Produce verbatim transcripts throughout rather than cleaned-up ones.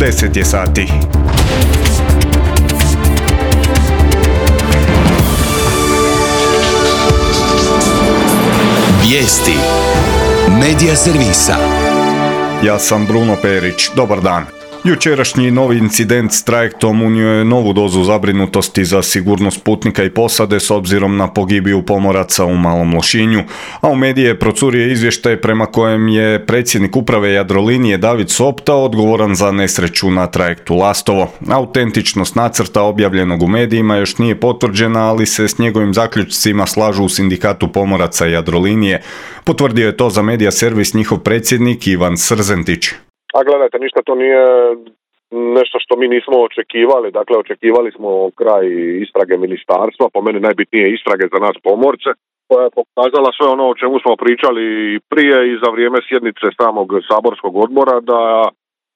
deset je sati. Vijesti Medija servisa. Ja sam Bruno Perić, dobar dan. Jučerašnji novi incident s trajektom unio je novu dozu zabrinutosti za sigurnost putnika i posade s obzirom na pogibiju pomoraca u Malom Lošinju, a u medije procurio izvještaj prema kojem je predsjednik uprave Jadrolinije David Sopta odgovoran za nesreću na trajektu Lastovo. Autentičnost nacrta objavljenog u medijima još nije potvrđena, ali se s njegovim zaključcima slažu u sindikatu pomoraca Jadrolinije. Potvrdio je to za medija servis njihov predsjednik Ivan Srzentić. A gledajte, ništa to nije nešto što mi nismo očekivali. Dakle, očekivali smo kraj istrage ministarstva, po meni najbitnije istrage za nas pomorce, koja je pokazala sve ono o čemu smo pričali i prije i za vrijeme sjednice samog saborskog odbora, da,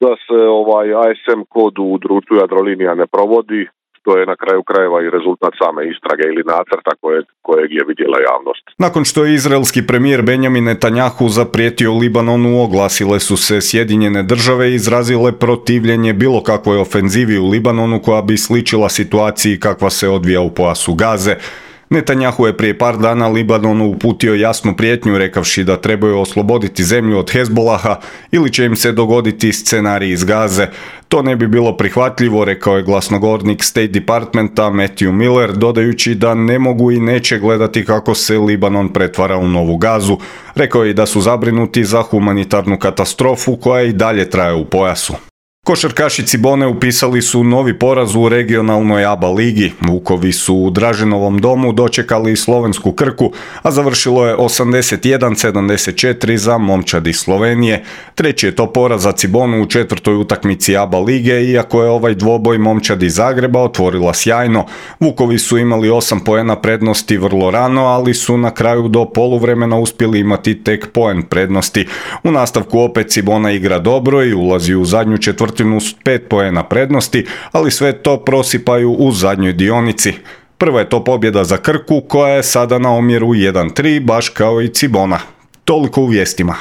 da se ovaj A S M kod u društvu Jadrolinija ne provodi, što je na kraju krajeva i rezultat same istrage ili nacrta kojeg, kojeg je vidjela javnost. Nakon što je izraelski premijer Benjamin Netanjahu zaprijetio Libanonu, oglasile su se Sjedinjene države i izrazile protivljenje bilo kakvoj ofenzivi u Libanonu koja bi sličila situaciji kakva se odvija u pojasu Gaze. Netanjahu je prije par dana Libanonu uputio jasnu prijetnju rekavši da trebaju osloboditi zemlju od Hezbolaha ili će im se dogoditi scenarij iz Gaze. To ne bi bilo prihvatljivo, rekao je glasnogovornik State Departmenta Matthew Miller, dodajući da ne mogu i neće gledati kako se Libanon pretvara u novu Gazu. Rekao je i da su zabrinuti za humanitarnu katastrofu koja i dalje traje u pojasu. Košarkaši Cibone upisali su novi poraz u regionalnoj A B A ligi. Vukovi su u Draženovom domu dočekali slovensku Krku, a završilo je osamdeset jedan sedamdeset četiri za momčad iz Slovenije. Treći je to poraz za Cibonu u četvrtoj utakmici A B A lige, iako je ovaj dvoboj momčad iz Zagreba otvorila sjajno. Vukovi su imali osam poena prednosti vrlo rano, ali su na kraju do poluvremena uspjeli imati tek poen prednosti. U nastavku opet Cibona igra dobro i ulazi u zadnju četvrtinu s pet poena prednosti, ali sve to prosipaju u zadnjoj dionici. Prva je to pobjeda za Krku koja je sada na omjeru jedan tri, baš kao i Cibona. Toliko u vijestima.